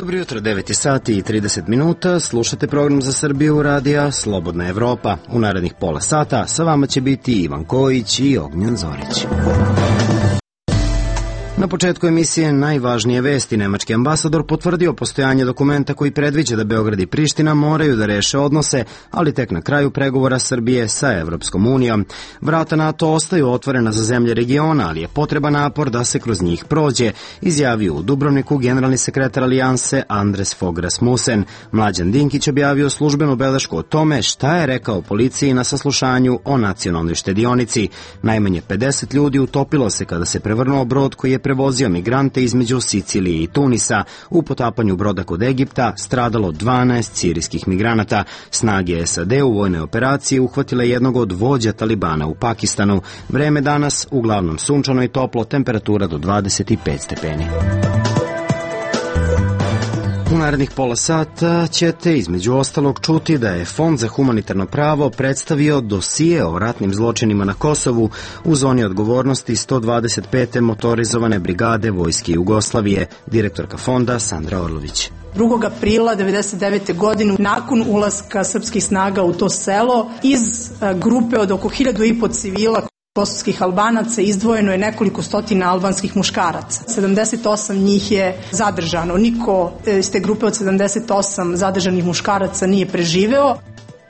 Dobro jutro, 9 sati i 30 minuta, slušate program za Srbiju radija Slobodna Evropa. U narednih pola sata sa vama će biti Ivan Kojić i Ognjan Zorić. Na početku emisije najvažnije vesti. Nemački ambasador potvrdio postojanje dokumenta koji predviđa da Beograd i Priština moraju da reše odnose, ali tek na kraju pregovora Srbije sa Evropskom unijom. Vrata NATO ostaju otvorena za zemlje regiona, ali je potreban napor da se kroz njih prođe, izjavio u Dubrovniku generalni sekretar Alijanse Andres Fogh Rasmussen. Mlađan Dinkić objavio službenu belešku o tome šta je rekao policiji na saslušanju o nacionalnoj štedionici. Najmanje 50 ljudi utopilo se kada se prevrnuo brod koji je prevozio migrante između Sicilije i Tunisa. U potapanju broda kod Egipta stradalo 12 sirijskih migranata. Snage SAD u vojnoj operaciji uhvatile jednog od vođa Talibana u Pakistanu. Vreme danas uglavnom sunčano i toplo, temperatura do 25 stepeni. U narednih pola sata ćete između ostalog čuti da je Fond za humanitarno pravo predstavio dosije o ratnim zločinima na Kosovu u zoni odgovornosti 125. motorizovane brigade Vojske Jugoslavije, direktorka fonda Sandra Orlović. 2. aprila 1999. godine, nakon ulaska srpskih snaga u to selo, iz grupe od oko 1500 civila kosovskih Albanaca izdvojeno je nekoliko stotina albanskih muškaraca. 78 njih je zadržano. Niko iz te grupe od 78 zadržanih muškaraca nije preživeo.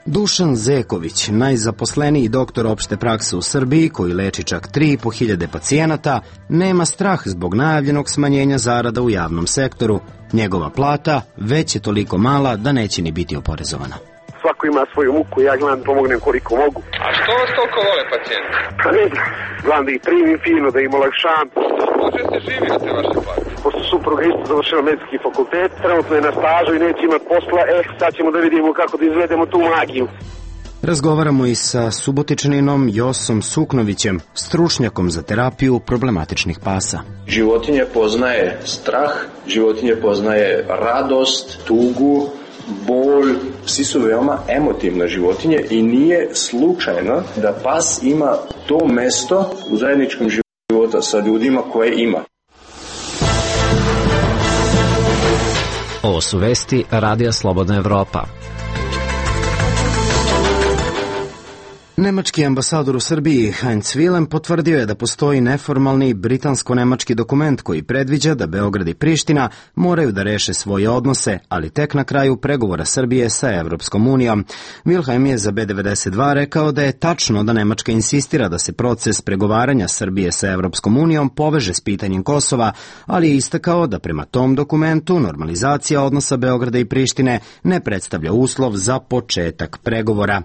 Dušan Zeković, najzaposleniji doktor opšte prakse u Srbiji, koji leči čak 3.500 pacijenata, nema strah zbog najavljenog smanjenja zarada u javnom sektoru. Njegova plata već je toliko mala da neće ni biti oporezovana. Svako ima svoju muku, ja gledam pomognem koliko mogu. A što vas toliko vole pacijenti? Pa ne znam, gledam da ih primim fino, da im olakšam. Može se živi od te vaše plate? Pošto supruga isto završila medicinski fakultet, trenutno je na stažu i neće imati posla, sad ćemo da vidimo kako da izvedemo tu magiju. Razgovaramo i sa Subotičaninom Josom Suknovićem, stručnjakom za terapiju problematičnih pasa. Životinje poznaje strah, životinje poznaje radost, tugu, bol, psi su veoma emotivne životinje i nije slučajno da pas ima to mesto u zajedničkom životu sa ljudima koje ima. Ovo su vesti Radija Slobodna Evropa. Nemački ambasador u Srbiji Heinz Wilhelm potvrdio je da postoji neformalni britansko-nemački dokument koji predviđa da Beograd i Priština moraju da reše svoje odnose, ali tek na kraju pregovora Srbije sa Evropskom unijom. Wilhelm je za B92 rekao da je tačno da Nemačka insistira da se proces pregovaranja Srbije sa Evropskom unijom poveže s pitanjem Kosova, ali je istakao da prema tom dokumentu normalizacija odnosa Beograda i Prištine ne predstavlja uslov za početak pregovora.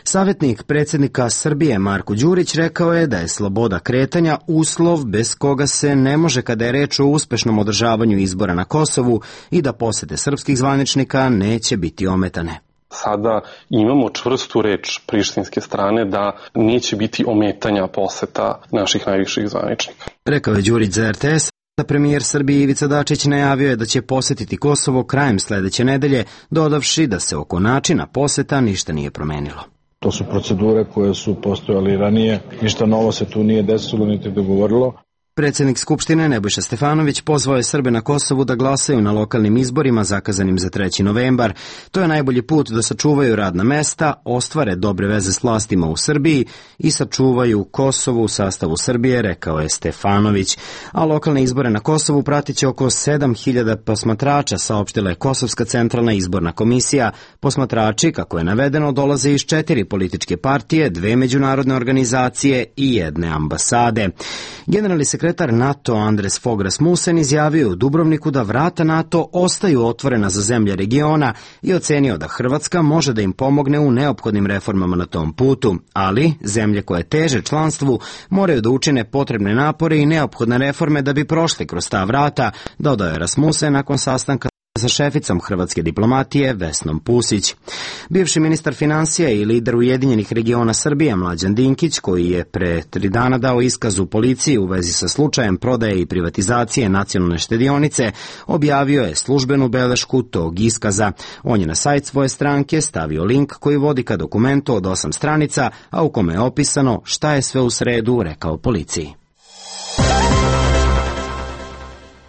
Savjetnik predsjednika Srbije Marko Đurić rekao je da je sloboda kretanja uslov bez koga se ne može kada je reč o uspešnom održavanju izbora na Kosovu i da posete srpskih zvaničnika neće biti ometane. Sada imamo čvrstu reč prištinske strane da neće biti ometanja poseta naših najviših zvaničnika. Rekao je Đurić za RTS. Premijer Srbije Ivica Dačić najavio je da će posetiti Kosovo krajem sledeće nedelje, dodavši da se oko načina poseta ništa nije promenilo. To su procedure koje su postojali ranije, ništa novo se tu nije desilo niti dogovorilo. Predsjednik Skupštine Nebojša Stefanović pozvao je Srbe na Kosovu da glasaju na lokalnim izborima zakazanim za 3. novembar. To je najbolji put da sačuvaju radna mesta, ostvare dobre veze s vlastima u Srbiji i sačuvaju Kosovo u sastavu Srbije, rekao je Stefanović. A lokalne izbore na Kosovu pratit će oko 7.000 posmatrača, saopštila je Kosovska centralna izborna komisija. Posmatrači, kako je navedeno, dolaze iz 4 političke partije, 2 međunarodne organizacije i 1 ambasade. Generalni sekretar NATO Andres Fogh Rasmussen izjavio u Dubrovniku da vrata NATO ostaju otvorena za zemlje regiona i ocenio da Hrvatska može da im pomogne u neophodnim reformama na tom putu, ali zemlje koje teže članstvu moraju da učine potrebne napore i neophodne reforme da bi prošli kroz ta vrata, dodao je Rasmussen nakon sastanka sa šeficom hrvatske diplomatije Vesnom Pusić. Bivši ministar finansija i lider Ujedinjenih regiona Srbije Mlađan Dinkić, koji je pre 3 dana dao iskaz u policiji u vezi sa slučajem prodaje i privatizacije nacionalne štedionice, objavio je službenu belešku tog iskaza. On je na sajt svoje stranke stavio link koji vodi ka dokumentu od 8 stranica, a u kome je opisano šta je sve u sredu rekao policiji.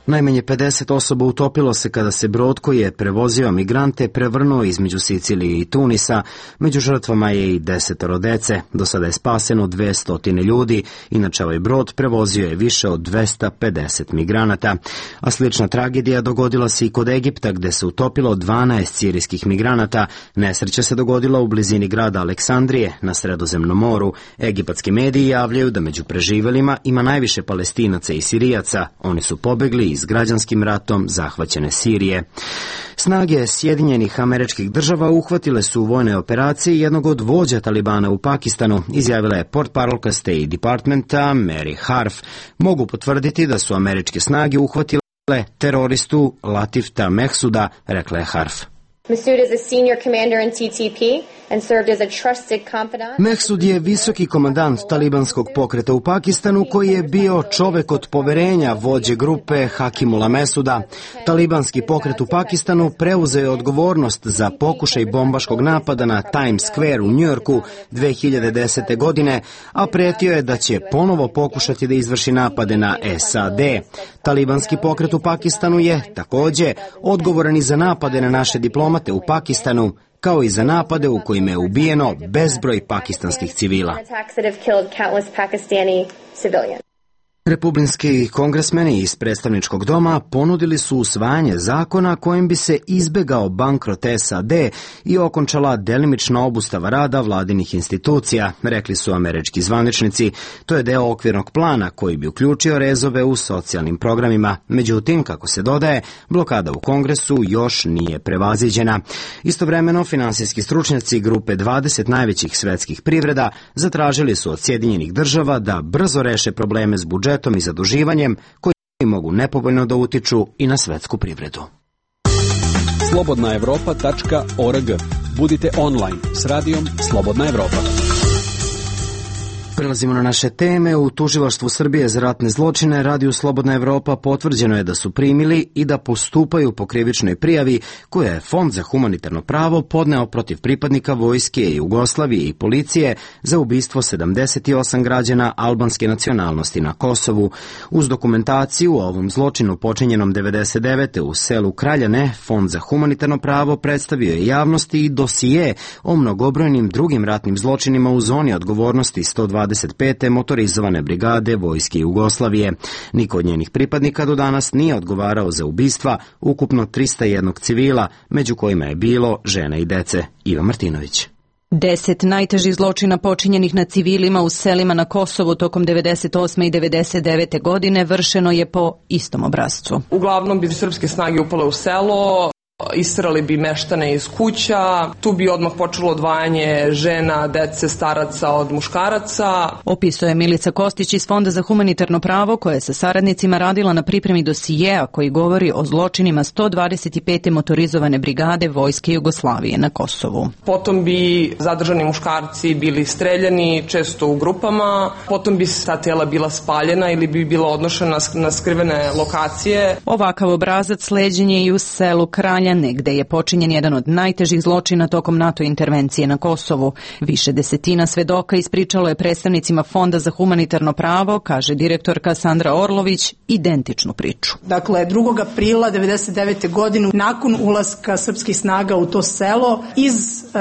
Najmanje 50 osoba utopilo se kada se brod koji je prevozio migrante prevrnuo između Sicilije i Tunisa. Među žrtvama je i 10 dece. Do sada je spaseno 200 ljudi. Inače, ovaj brod prevozio je više od 250 migranata. A slična tragedija dogodila se i kod Egipta, gde se utopilo 12 sirijskih migranata. Nesreća se dogodila u blizini grada Aleksandrije na Sredozemnom moru. Egipatski mediji javljaju da među preživelima ima najviše Palestinaca i Sirijaca. Oni su pobegli iz građanskim ratom zahvaćene Sirije. Snage Sjedinjenih Američkih Država uhvatile su u vojne operacije jednog od vođa Talibana u Pakistanu, izjavila je portparolka State Departmenta Mary Harf. Mogu potvrditi da su američke snage uhvatile teroristu Latifta Mehsuda, rekla je Harf. Masood is a senior commander in TTP and served as a trusted confidant. Mehsud je visoki komandant talibanskog pokreta u Pakistanu koji je bio čovek od poverenja vođe grupe Hakimula Mesuda. Talibanski pokret u Pakistanu preuzeo je odgovornost za pokušaj bombaškog napada na Times Square u Njujorku 2010. godine, a pretio je da će ponovo pokušati da izvrši napade na SAD. Talibanski pokret u Pakistanu je takođe odgovoran i za napade na naše diplomate u Pakistanu, kao i za napade u kojima je ubijeno bezbroj pakistanskih civila. Republikanski kongresmeni iz predstavničkog doma ponudili su usvajanje zakona kojim bi se izbegao bankrot SAD i okončala delimična obustava rada vladinih institucija, rekli su američki zvaničnici. To je deo okvirnog plana koji bi uključio rezove u socijalnim programima. Međutim, kako se dodaje, blokada u Kongresu još nije prevaziđena. Istovremeno, finansijski stručnjaci grupe 20 najvećih svetskih privreda zatražili su od Sjedinjenih Država da brzo reše probleme s budžetom i zaduživanjem koji mogu nepovoljno da utiču i na svetsku privredu. slobodnaevropa.org. Budite online s radijom Slobodna Evropa. Prelazimo na naše teme. U Tužilaštvu Srbije za ratne zločine Radiju Slobodna Evropa potvrđeno je da su primili i da postupaju po krivičnoj prijavi koju je Fond za humanitarno pravo podneo protiv pripadnika vojske Jugoslavije i policije za ubistvo 78 građana albanske nacionalnosti na Kosovu. Uz dokumentaciju o ovom zločinu počinjenom 99. u selu Kraljane, Fond za humanitarno pravo predstavio je javnosti i dosije o mnogobrojnim drugim ratnim zločinima u zoni odgovornosti 125. motorizovane brigade vojske Jugoslavije. Niko od njenih pripadnika do danas nije odgovarao za ubistva ukupno 301 civila, među kojima je bilo žena i dece. Iva Martinović. 10 najtežih zločina počinjenih na civilima u selima na Kosovu tokom 98. i 99. godine vršeno je po istom obrascu. Uglavnom bi srpske snage upale u selo, isterali bi meštane iz kuća, tu bi odmah počelo odvajanje žena, dece, staraca od muškaraca. Opisuje Milica Kostić iz Fonda za humanitarno pravo koja je sa saradnicima radila na pripremi dosijeja koji govori o zločinima 125. motorizovane brigade vojske Jugoslavije na Kosovu. Potom bi zadržani muškarci bili streljani, često u grupama, potom bi ta tela bila spaljena ili bi bila odnošena na skrivene lokacije. Ovakav obrazac sleđen je i u selu Kraljane, gde je počinjen jedan od najtežih zločina tokom NATO intervencije na Kosovu. Više desetina svedoka ispričalo je predstavnicima Fonda za humanitarno pravo, kaže direktorka Sandra Orlović, identičnu priču. Dakle, 2. aprila 1999. godine, nakon ulaska srpskih snaga u to selo, iz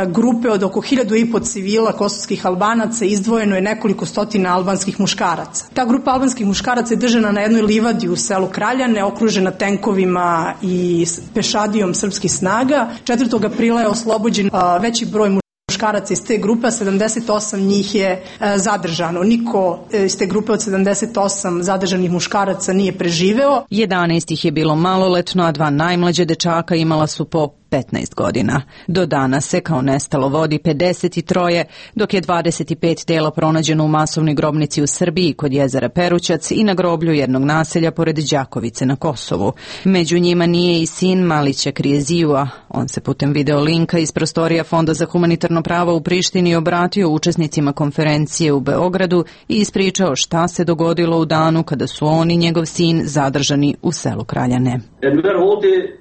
grupe od oko 1500 civila kosovskih Albanaca izdvojeno je nekoliko stotina albanskih muškaraca. Ta grupa albanskih muškaraca je držana na jednoj livadi u selu Kraljane, okružena tenkovima i pešadijom srpskih snaga. 4. aprila je oslobođen veći broj muškaraca iz te grupe, 78 njih je zadržano. Niko iz te grupe od 78 zadržanih muškaraca nije preživeo. 11 ih je bilo maloletno, a 2 najmlađe dečaka imala su po 15 godina. Do danas se kao nestalo vodi 53, dok je 25 tela pronađeno u masovnoj grobnici u Srbiji kod jezera Perućac i na groblju jednog naselja pored Đakovice na Kosovu. Među njima nije i sin Malića Krijezijua. On se putem video linka iz prostorija Fonda za humanitarno pravo u Prištini obratio učesnicima konferencije u Beogradu i ispričao šta se dogodilo u danu kada su on i njegov sin zadržani u selu Kraljane.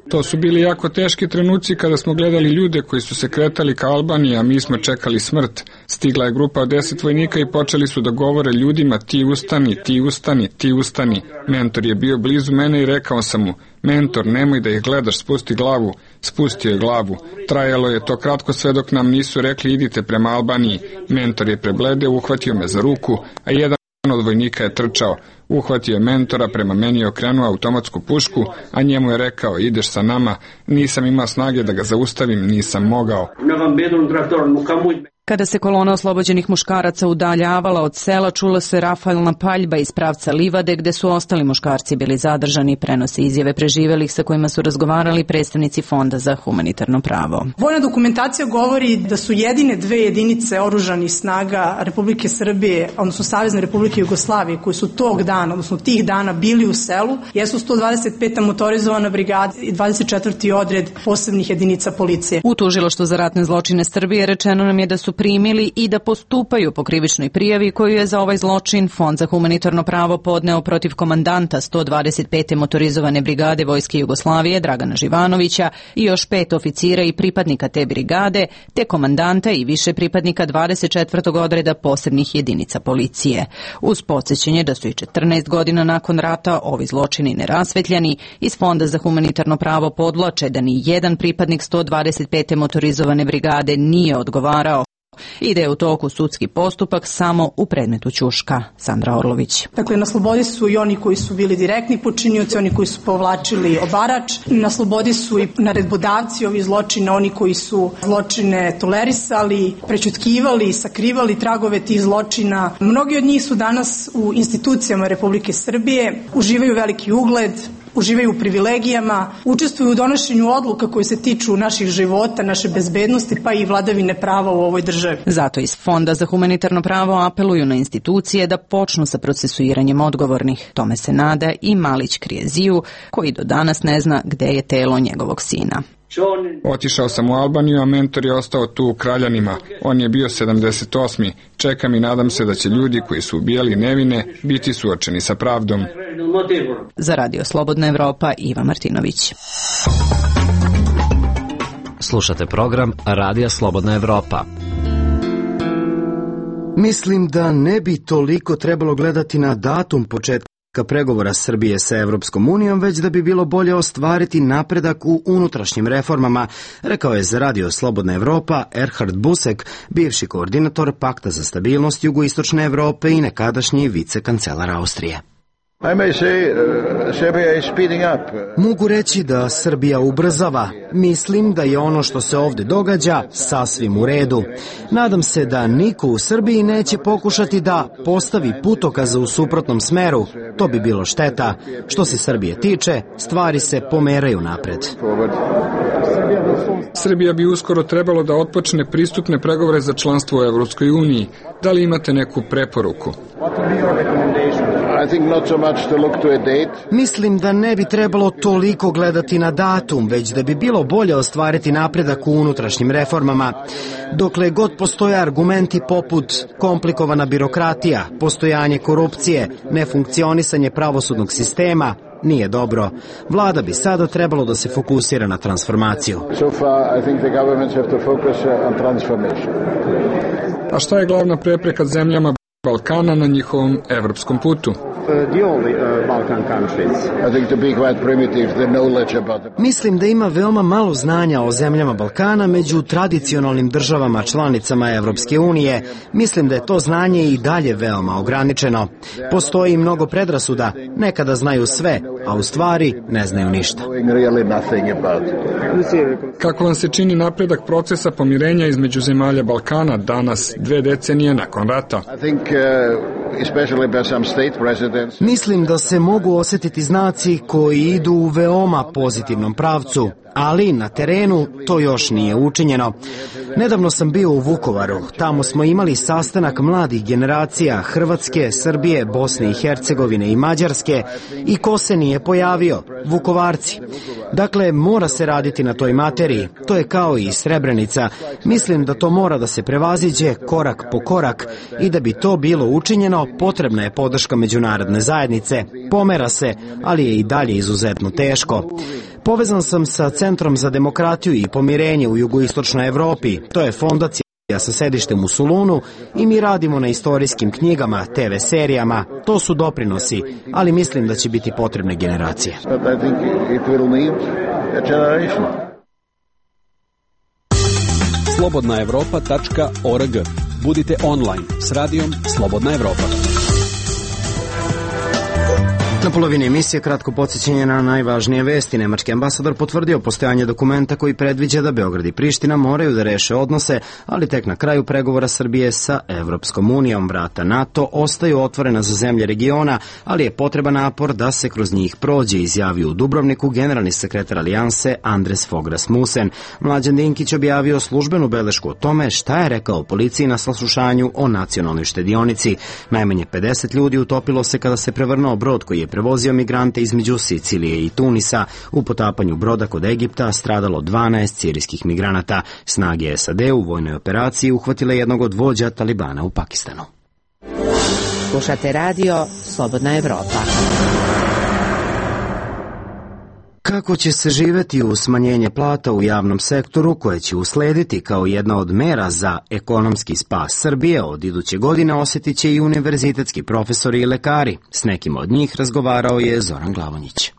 To su bili jako teški trenuci trenuci kada smo gledali ljude koji su se kretali ka Albaniji, a mi smo čekali smrt, stigla je grupa od 10 vojnika i počeli su da govore ljudima: ti ustani, ti ustani, ti ustani. Mentor je bio blizu mene i rekao sam mu: mentor, nemoj da ih gledaš, spusti glavu. Spustio je glavu. Trajalo je to kratko sve dok nam nisu rekli: idite prema Albaniji. Mentor je prebledeo, uhvatio me za ruku, a jedan od vojnika je trčao. Uhvatio je mentora, prema meni je okrenuo automatsku pušku, a njemu je rekao: ideš sa nama. Nisam imao snage da ga zaustavim, nisam mogao. Kada se kolona oslobođenih muškaraca udaljavala od sela, čula se rafalna paljba iz pravca livade gde su ostali muškarci bili zadržani, prenose izjave preživelih sa kojima su razgovarali predstavnici Fonda za humanitarno pravo. Vojna dokumentacija govori da su jedine 2 jedinice oružanih snaga Republike Srbije, odnosno Savezne Republike Jugoslavije, koji su tog dana, odnosno tih dana bili u selu, jesu 125. motorizovana brigada i 24. odred posebnih jedinica policije. U Tužilaštvu za ratne zločine Srbije rečeno nam je da su primili i da postupaju po krivičnoj prijavi koju je za ovaj zločin Fond za humanitarno pravo podneo protiv komandanta 125. motorizovane brigade Vojske Jugoslavije Dragana Živanovića i još 5 oficira i pripadnika te brigade, te komandanta i više pripadnika 24. odreda posebnih jedinica policije. Uz podsjećanje da su i 14 godina nakon rata ovi zločini nerasvetljani, iz Fonda za humanitarno pravo podvlače da ni jedan pripadnik 125. motorizovane brigade nije odgovarao i da je u toku sudski postupak samo u predmetu Ćuška. Sandra Orlović. Dakle, na slobodi su i oni koji su bili direktni počinioci, oni koji su povlačili obarač, na slobodi su i naredbodavci ovih zločina, oni koji su zločine tolerisali, prećutkivali, sakrivali tragove tih zločina. Mnogi od njih su danas u institucijama Republike Srbije, uživaju veliki ugled, uživaju u privilegijama, učestvuju u donošenju odluka koje se tiču naših života, naše bezbednosti, pa i vladavine prava u ovoj državi. Zato iz Fonda za humanitarno pravo apeluju na institucije da počnu sa procesuiranjem odgovornih. Tome se nada i Malić Krijeziju, koji do danas ne zna gde je telo njegovog sina. Otišao sam u Albaniju, a mentor je ostao tu u Kraljanima. On je bio 78. Čekam i nadam se da će ljudi koji su ubijali nevine biti suočeni sa pravdom. Za Radio Slobodna Evropa, Iva Martinović. Slušate program Radija Slobodna Evropa. Mislim da ne bi toliko trebalo gledati na datum početka pregovora Srbije sa Evropskom unijom, već da bi bilo bolje ostvariti napredak u unutrašnjim reformama, rekao je za Radio Slobodna Evropa Erhard Busek, bivši koordinator Pakta za stabilnost Jugoistočne Evrope i nekadašnji vicekancelar Austrije. Mogu reći da Srbija ubrzava. Mislim da je ono što se ovde događa sasvim u redu. Nadam se da niko u Srbiji neće pokušati da postavi putokaza u suprotnom smeru. To bi bilo šteta. Što se Srbije tiče, stvari se pomeraju napred. Srbija bi uskoro trebalo da otpočne pristupne pregovore za članstvo u Evropskoj uniji. Da li imate neku preporuku? Mislim da ne bi trebalo toliko gledati na datum, već da bi bilo bolje ostvariti napredak u unutrašnjim reformama. Dokle god postoje argumenti poput komplikovana birokratija, postojanje korupcije, nefunkcionisanje pravosudnog sistema, nije dobro. Vlada bi sada trebalo da se fokusira na transformaciju. A šta je glavna prepreka zemljama Balkana na njihovom evropskom putu? Mislim da ima veoma malo znanja o zemljama Balkana među tradicionalnim državama članicama Evropske unije. Mislim da je to znanje i dalje veoma ograničeno. Postoji mnogo predrasuda, nekada znaju sve, a u stvari ne znaju ništa. Kako vam se čini napredak procesa pomirenja između zemalja Balkana danas, 2 decenije nakon rata? Mislim da se mogu osjetiti znaci koji idu u veoma pozitivnom pravcu, ali na terenu to još nije učinjeno. Nedavno sam bio u Vukovaru. Tamo smo imali sastanak mladih generacija Hrvatske, Srbije, Bosne i Hercegovine i Mađarske i ko se nije pojavio? Vukovarci. Dakle, mora se raditi na toj materiji. To je kao i Srebrenica. Mislim da to mora da se prevaziđe korak po korak i da bi to bilo učinjeno, potrebna je podrška međunarodne zajednice. Pomera se, ali je i dalje izuzetno teško. Povezan sam sa Centrom za demokratiju i pomirenje u jugoistočnoj Evropi. To je fondacija sa sedištem u Solunu i mi radimo na istorijskim knjigama, TV serijama. To su doprinosi, ali mislim da će biti potrebne generacije. slobodnaevropa.org. Budite online s radijom Slobodna Evropa. Na polovini emisije kratko podsjećanje na najvažnije vesti. Nemački ambasador potvrdio postojanje dokumenta koji predviđa da Beograd i Priština moraju da reše odnose, ali tek na kraju pregovora Srbije sa Evropskom unijom. Vrata NATO ostaju otvorena za zemlje regiona, ali je potreban napor da se kroz njih prođe, izjavio u Dubrovniku generalni sekretar Alijanse Andres Fogh Rasmussen. Mlađan Dinkić objavio službenu belešku o tome šta je rekao policiji na saslušanju o nacionalnoj štedionici. Najmanje 50 ljudi utopilo se kada se prevrnuo brod koji je prevozio migrante između Sicilije i Tunisa. U potapanju broda kod Egipta stradalo 12 sirijskih migranata. Snage SAD u vojnoj operaciji uhvatile jednog od vođa Talibana u Pakistanu. Slušate radio Slobodna Evropa. Kako će se živeti u smanjenje plata u javnom sektoru koje će uslediti kao jedna od mera za ekonomski spas Srbije od iduće godine osjetit će i univerzitetski profesori i lekari. S nekim od njih razgovarao je Zoran Glavonjić.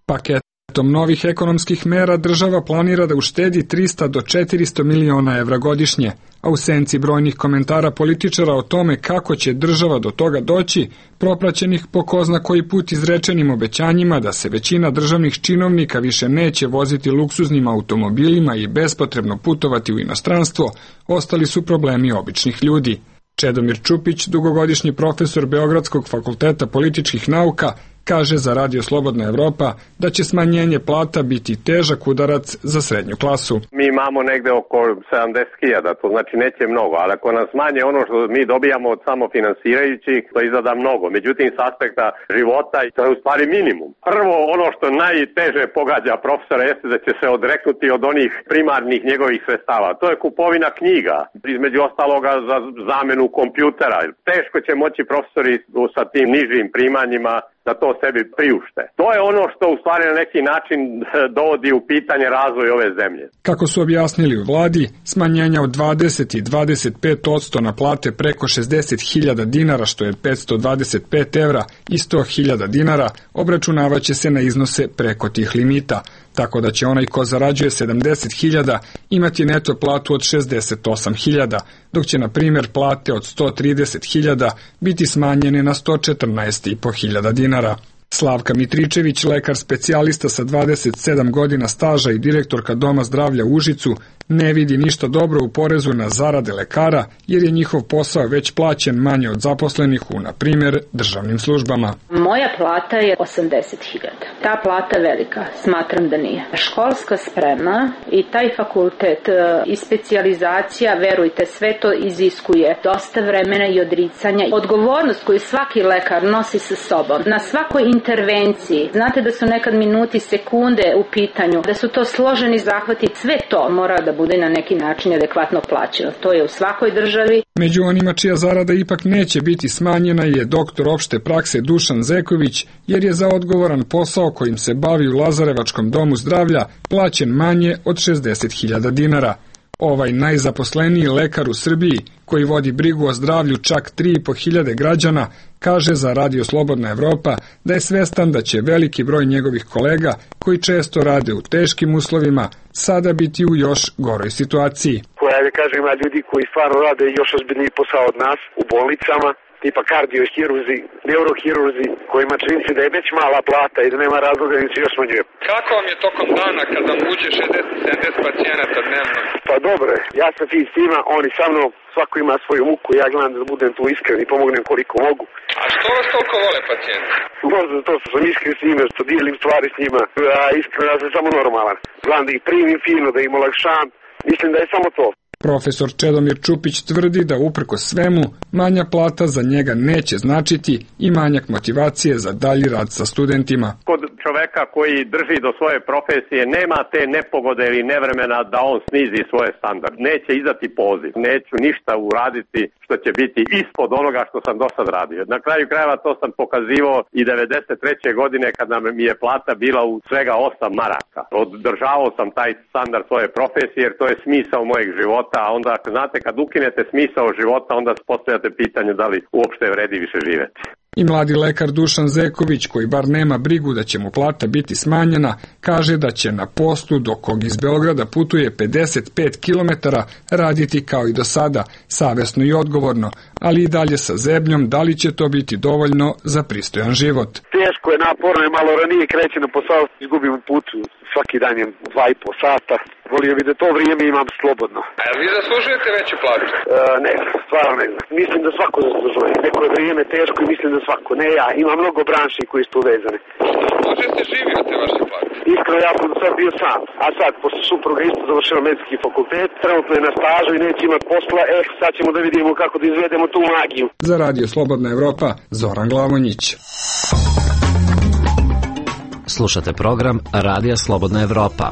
Paketom novih ekonomskih mera država planira da uštedi 300 do 400 miliona evra godišnje, a u senci brojnih komentara političara o tome kako će država do toga doći, propraćenih po ko zna koji put izrečenim obećanjima da se većina državnih činovnika više neće voziti luksuznim automobilima i bespotrebno putovati u inostranstvo, ostali su problemi običnih ljudi. Čedomir Čupić, dugogodišnji profesor Beogradskog fakulteta političkih nauka, kaže za Radio Slobodna Evropa da će smanjenje plata biti težak udarac za srednju klasu. Mi imamo negde oko 70.000, to znači neće mnogo, ali ako nas manje ono što mi dobijamo od samofinansirajućih, to izgleda mnogo. Međutim, s aspekta života, to je u stvari minimum. Prvo, ono što najteže pogađa profesora jeste da će se odreknuti od onih primarnih njegovih sredstava. To je kupovina knjiga, između ostaloga za zamenu kompjutera. Teško će moći profesori sa tim nižim primanjima da to sebi priušte. To je ono što u stvari na neki način dovodi u pitanje razvoj ove zemlje. Kako su objasnili u vladi, smanjenja od 20 i 25% na plate preko 60.000 dinara, što je 525 evra, i 100.000 dinara, obračunavaće se na iznose preko tih limita, tako da će onaj ko zarađuje 70.000 imati neto platu od 68.000, dok će na primjer plate od 130.000 biti smanjene na 114.500 dinara. Slavka Mitričević, lekar specijalista sa 27 godina staža i direktorka Doma zdravlja u Užicu, ne vidi ništa dobro u porezu na zarade lekara, jer je njihov posao već plaćen manje od zaposlenih u, na primjer, državnim službama. Moja plata je 80.000. Ta plata velika, smatram da nije. Školska sprema i taj fakultet i specijalizacija, verujte, sve to iziskuje dosta vremena i odricanja. Odgovornost koju svaki lekar nosi sa sobom na svakoj intervenciji. Znate da su nekad minuti, sekunde u pitanju, da su to složeni zahvati, sve to mora da bude na neki način adekvatno plaćeno. To je u svakoj državi. Među onima čija zarada ipak neće biti smanjena je doktor opšte prakse Dušan Zeković, jer je za odgovoran posao kojim se bavi u Lazarevačkom domu zdravlja plaćen manje od 60.000 dinara. Ovaj najzaposleniji lekar u Srbiji, koji vodi brigu o zdravlju čak 3.500 građana, kaže za Radio Slobodna Evropa da je svestan da će veliki broj njegovih kolega, koji često rade u teškim uslovima, sada biti u još goroj situaciji. Ima ljudi koji stvarno rade još ozbiljniji posao od nas u bolnicama, tipa kardiohirurzi, neurohirurzi, kojima čini se da je već mala plata i da nema razloga da se još smanjuje. Kako vam je tokom dana kada vam uđe 60-70 pacijenata dnevno? Pa dobro, ja sam fin s tima, oni sa mnom, svako ima svoju muku, ja gledam da budem tu iskren i pomognem koliko mogu. A što vas toliko vole pacijenti? Možda to što sam iskren s njima, što dijelim stvari s njima, a iskreno ja sam samo normalan. Gledam da ih primim fino, da im olakšam, mislim da je samo to. Profesor Čedomir Čupić tvrdi da uprkos svemu manja plata za njega neće značiti i manjak motivacije za dalji rad sa studentima. Kod čoveka koji drži do svoje profesije nema te nepogode ili nevremena da on snizi svoje standard. Neće izdati poziv, neću ništa uraditi što će biti ispod onoga što sam do sad radio. Na kraju krajeva to sam pokazivao i 93. godine kada mi je plata bila u svega 8 maraka. Održavao sam taj standard svoje profesije jer to je smisao mojeg života, a onda znate kad ukinete smisao života onda postavljate pitanje da li uopšte vredi više živeti. I mladi lekar Dušan Zeković, koji bar nema brigu da će mu plata biti smanjena, kaže da će na poslu do kog iz Beograda putuje 55 km raditi kao i do sada, savesno i odgovorno, ali i dalje sa zebnjom da li će to biti dovoljno za pristojan život. Teško je, naporno je, malo ranije kreće na posao, izgubim putu, svaki dan je 2,5 sata. Volio bi da to vrijeme imam slobodno. A vi zaslužujete veću platu? Ne znam, stvarno ne znam. Mislim da svako zaslužuje. Neko je vrijeme teško i mislim da svako. Ne ja, ima mnogo branši koji su povezane. Može ste živi od te vaše plate? Iskreno, ja sam do sad bio sam. A sad, posle supruga isto završila medicinski fakultet, trenutno je na stažu i neće imati posla. Sad ćemo da vidimo kako da izvedemo tu magiju. Za Radio Slobodna Evropa, Zoran Glavonjić. Slušate program Radija Slobodna Evropa.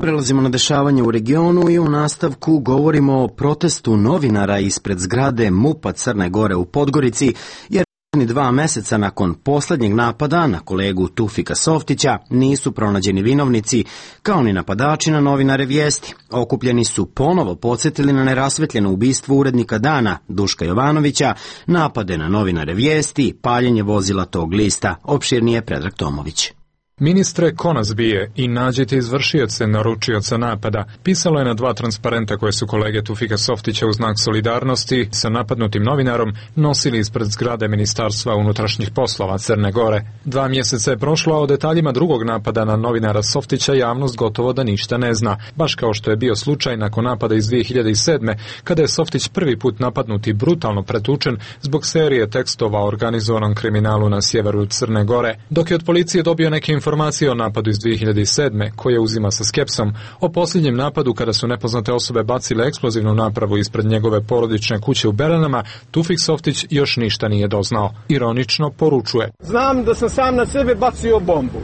Prelazimo na dešavanje u regionu i u nastavku govorimo o protestu novinara ispred zgrade MUP-a Crne Gore u Podgorici, jer 2 meseca nakon poslednjeg napada na kolegu Tufika Softića nisu pronađeni vinovnici, kao ni napadači na novinare Vijesti. Okupljeni su ponovo podsjetili na nerasvetljeno ubistvo urednika Dana Duška Jovanovića, napade na novinare Vijesti, paljenje vozila tog lista. Opširnije Predrag Tomović. Ministre, ko nas bije i nađite izvršioce naručioca napada, pisalo je na 2 transparenta koje su kolege Tufika Softića u znak solidarnosti sa napadnutim novinarom nosili ispred zgrade Ministarstva unutrašnjih poslova Crne Gore. 2 mjeseca je prošlo, a o detaljima drugog napada na novinara Softića javnost gotovo da ništa ne zna, baš kao što je bio slučaj nakon napada iz 2007. kada je Softić prvi put napadnut i brutalno pretučen zbog serije tekstova o organizovanom kriminalu na sjeveru Crne Gore. Dok je od policije dobio neke informacije o napadu iz 2007. koje uzima sa skepsom, o posljednjem napadu kada su nepoznate osobe bacile eksplozivnu napravu ispred njegove porodične kuće u Beranama, Tufik Softić još ništa nije doznao. Ironično poručuje: Znam da sam sam na sebe bacio bombu.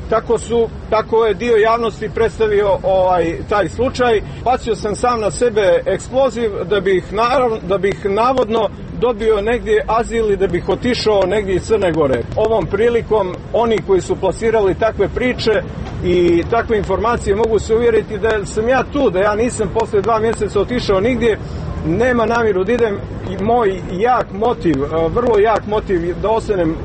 Tako je dio javnosti predstavio taj slučaj. Bacio sam sam na sebe eksploziv da bih navodno dobio negdje azil i da bih otišao negdje iz Crne Gore. Ovom prilikom oni koji su plasirali takve priče i takve informacije mogu se uvjeriti da sam ja tu, da ja nisam posle 2 mjeseca otišao nigdje, nema namjeru da idem. Moj jak motiv, vrlo jak motiv da ostanem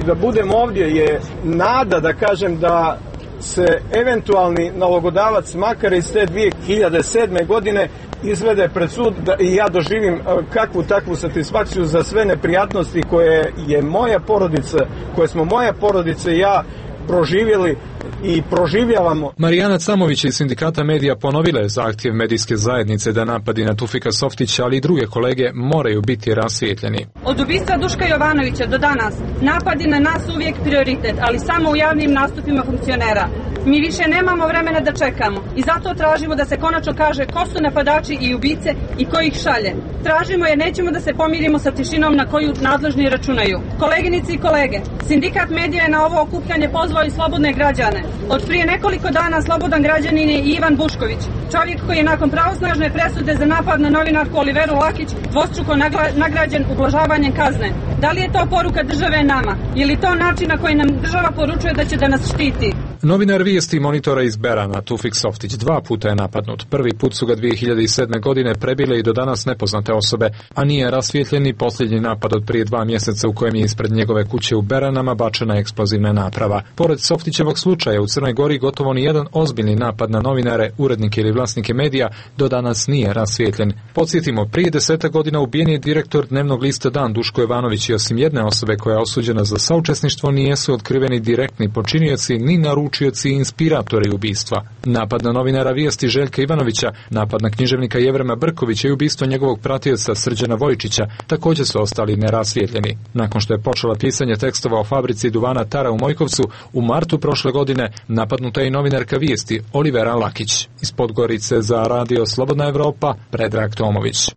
i da budem ovdje je nada, da kažem, da se eventualni nalogodavac makar iz te 2007. godine izvede pred sud i ja doživim kakvu takvu satisfakciju za sve neprijatnosti koje je moja porodica, koje smo moja porodica i ja proživjeli i proživljavamo. Marijana Camović iz Sindikata medija ponovila je zahtjev medijske zajednice da napadi na Tufika Softića, ali i druge kolege moraju biti rasvijetljeni. Od ubistva Duška Jovanovića do danas napadi na nas uvijek prioritet, ali samo u javnim nastupima funkcionera. Mi više nemamo vremena da čekamo i zato tražimo da se konačno kaže ko su napadači i ubice i ko ih šalje. Tražimo jer nećemo da se pomirimo sa tišinom na koju nadležni računaju. Koleginici i kolege, Sindikat medija je na ovo okupljanje pozvao i slobodne građane. Od prije nekoliko dana slobodan građanin je i Ivan Bušković, čovjek koji je nakon pravosnažne presude za napad na novinarku Oliveru Lakić dvostruko nagrađen ublažavanjem kazne. Da li je to poruka države nama? Je li to način na koji nam država poručuje da će da nas štiti? Novinar Vijesti Monitora iz Berana, Tufik Softić, 2 puta je napadnut. Prvi put su ga 2007. godine prebile i do danas nepoznate osobe, a nije rasvijetljen ni posljednji napad od prije 2 mjeseca u kojem je ispred njegove kuće u Beranama bačena eksplozivna naprava. Pored Softićevog slučaja u Crnoj Gori gotovo ni jedan ozbiljni napad na novinare, urednike ili vlasnike medija do danas nije rasvijetljen. Podsjetimo, prije 10 godina ubijen je direktor dnevnog lista Dan Duško Jovanović i osim jedne osobe koja je osuđena za saučesništvo nijesu otkriveni direktni počinioci ni naručioci naručioci i inspiratori ubistva. Napad na novinara Vijesti Željka Ivanovića, napad na književnika Jevrema Brkovića i ubistvo njegovog pratioca Srđana Vojičića također su ostali nerasvijetljeni. Nakon što je počela pisanje tekstova o fabrici duvana Tara u Mojkovcu, u martu prošle godine napadnuta je i novinarka Vijesti Olivera Lakić. Iz Podgorice za Radio Slobodna Evropa, Predrag Tomović.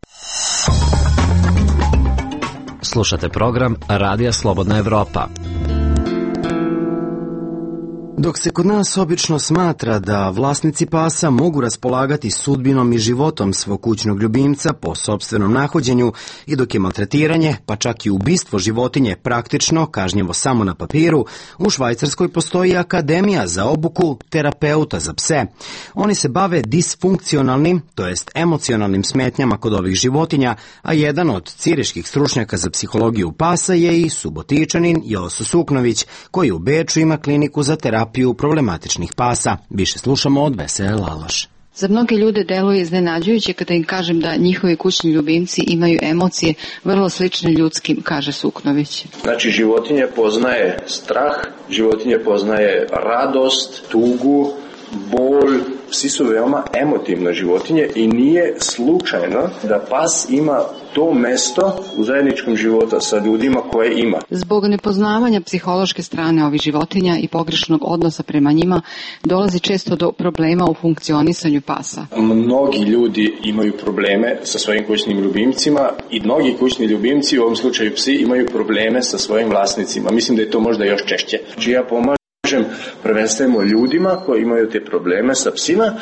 Slušate program Radija Slobodna Evropa. Dok se kod nas obično smatra da vlasnici pasa mogu raspolagati sudbinom i životom svog kućnog ljubimca po sopstvenom nahođenju i dok je maltretiranje, pa čak i ubistvo životinje praktično kažnjivo samo na papiru, u Švajcarskoj postoji akademija za obuku terapeuta za pse. Oni se bave disfunkcionalnim, to jest emocionalnim smetnjama kod ovih životinja, a jedan od ciriških stručnjaka za psihologiju pasa je i Subotičanin Joso Suknović, koji u Beču ima kliniku za terapiju problematičnih pasa. Više slušamo od Vesele Laloš. Za mnoge ljude deluje iznenađujuće kada im kažem da njihovi kućni ljubimci imaju emocije vrlo slične ljudskim, kaže Suknović. Znači, životinje poznaje strah, životinje poznaje radost, tugu, bol. Psi su veoma emotivne životinje i nije slučajno da pas ima to mesto u zajedničkom životu sa ljudima koje ima. Zbog nepoznavanja psihološke strane ovih životinja i pogrešnog odnosa prema njima dolazi često do problema u funkcionisanju pasa. Mnogi ljudi imaju probleme sa svojim kućnim ljubimcima i mnogi kućni ljubimci, u ovom slučaju psi, imaju probleme sa svojim vlasnicima. Mislim da je to možda još češće. Ja pomažem prvenstveno ljudima koji imaju te probleme sa psima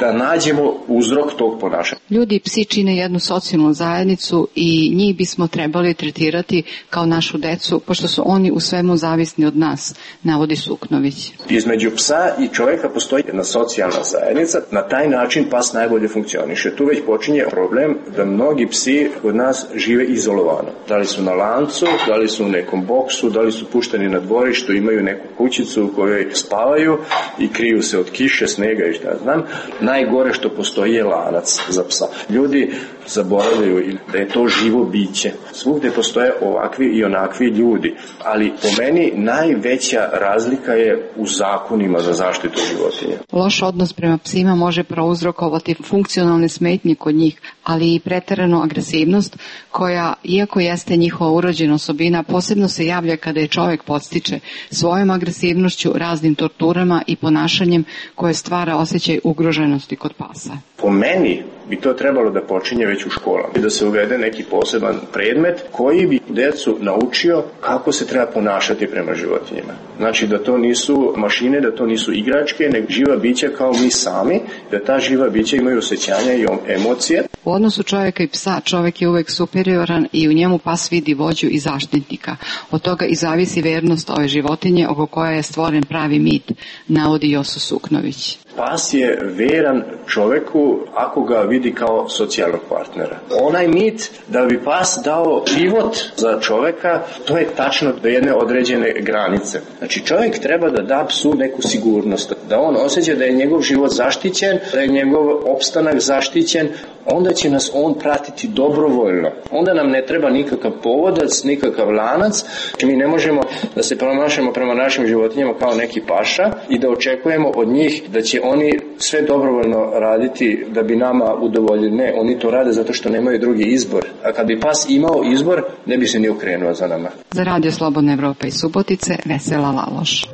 da nađemo uzrok tog ponašanja. Ljudi i psi čine jednu socijalnu zajednicu i njih bismo trebali tretirati kao našu decu, pošto su oni u svemu zavisni od nas, navodi Suknović. Između psa i čovjeka postoji jedna socijalna zajednica, na taj način pas najbolje funkcioniše. Tu već počinje problem da mnogi psi od nas žive izolovano. Da li su na lancu, da li su u nekom boksu, da li su pušteni na dvorištu, imaju neku kućicu u kojoj spavaju i kriju se od kiše, snega i šta znam. Najgore što postoji je lanac za psa. Ljudi zaboravljaju da je to živo biće. Svugde postoje ovakvi i onakvi ljudi, ali po meni najveća razlika je u zakonima za zaštitu životinja. Loš odnos prema psima može prouzrokovati funkcionalne smetnje kod njih, ali i preteranu agresivnost koja, iako jeste njihova urođena osobina, posebno se javlja kada je čovjek podstiče svojom agresivnošću, raznim torturama i ponašanjem koje stvara osjećaj ugroženosti kod pasa. Po meni bi to trebalo da počinje već u školama i da se uvede neki poseban predmet koji bi decu naučio kako se treba ponašati prema životinjama. Znači da to nisu mašine, da to nisu igračke, nego živa bića kao mi sami, da ta živa bića imaju osjećanja i emocije. U odnosu čovjeka i psa čovjek je uvek superioran i u njemu pas vidi vođu i zaštitnika. Od toga i zavisi vernost ove životinje oko koje je stvoren pravi mit, navodi Joso Suknović. Pas je veran čoveku ako ga vidi kao socijalnog partnera. Onaj mit da bi pas dao život za čoveka, to je tačno do jedne određene granice. Znači čovjek treba da da psu neku sigurnost, da on osjeća da je njegov život zaštićen, da je njegov opstanak zaštićen, onda će nas on pratiti dobrovoljno. Onda nam ne treba nikakav povodac, nikakav lanac. Mi ne možemo da se ponašamo prema našim životinjama kao neki paša i da očekujemo od njih da će oni sve dobrovoljno raditi da bi nama udovoljili. Ne, oni to rade zato što nemaju drugi izbor. A kad bi pas imao izbor, ne bi se ni okrenuo za nama. Za Radio Slobodna Evropa iz Subotice, Vesela Laloš.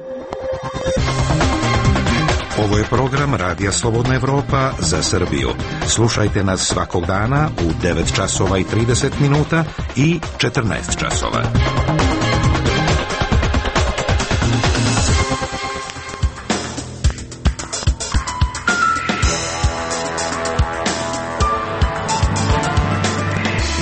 Ovo je program Radija Slobodna Evropa za Srbiju. Slušajte nas svakog dana u 9 časova i 30 minuta i 14 časova.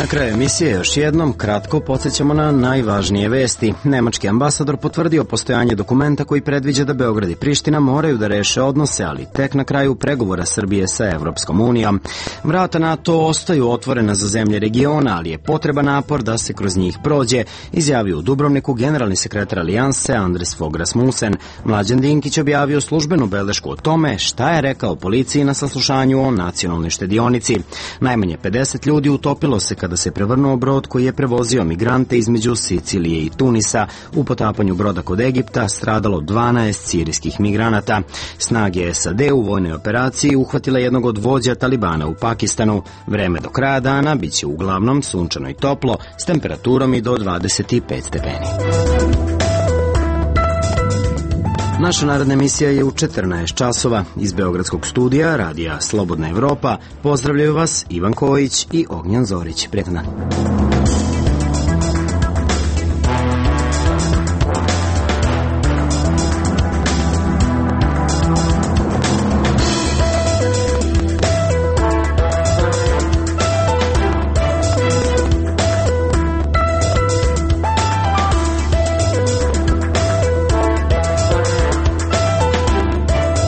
Na kraju emisije još jednom kratko podsjećamo na najvažnije vesti. Nemački ambasador potvrdio postojanje dokumenta koji predviđa da Beograd i Priština moraju da reše odnose, ali tek na kraju pregovora Srbije sa Evropskom unijom. Vrata NATO ostaju otvorena za zemlje regiona, ali je potreban napor da se kroz njih prođe, izjavio u Dubrovniku generalni sekretar Alijanse Andres Fogh Rasmussen. Mlađan Dinkić objavio službenu belešku o tome šta je rekao policiji na saslušanju o nacionalnoj štedionici. Najmanje 50 ljudi utopilo se kada kada se prevrnuo brod koji je prevozio migrante između Sicilije i Tunisa. U potapanju broda kod Egipta stradalo 12 sirijskih migranata. Snage SAD u vojnoj operaciji uhvatile jednog od vođa Talibana u Pakistanu. Vreme do kraja dana biće uglavnom sunčano i toplo s temperaturom i do 25 stepeni. Naša naredna emisija je u 14 časova. Iz Beogradskog studija Radija Slobodna Evropa pozdravljaju vas Ivan Kojić i Ognjan Zorić. Prijetan dan.